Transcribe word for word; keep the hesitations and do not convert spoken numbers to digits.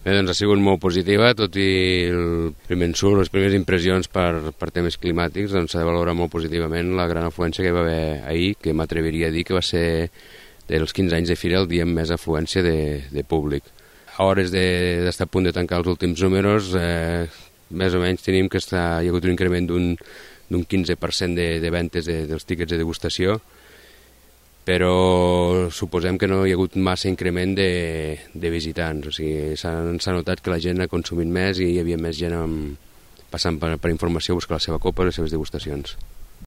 Bé, doncs ha sigut molt positiva, tot i el primer ensurt, les primeres impressions per, per temes climàtics, doncs s'ha de valorar molt positivament la gran afluència que hi va haver ahir, que m'atreviria a dir que va ser dels quinze anys de fira el dia amb més afluència de, de públic. A hores d'estar de, a punt de tancar els últims números, eh, més o menys tenim que està, hi ha hagut un increment d'un quinze per cent de, de ventes de, dels tíquets de degustació, però suposem que no hi ha hagut massa increment de, de visitants, o sigui, s'ha notat que la gent ha consumit més i hi havia més gent amb, passant per, per informació a buscar la seva copa i les seves degustacions.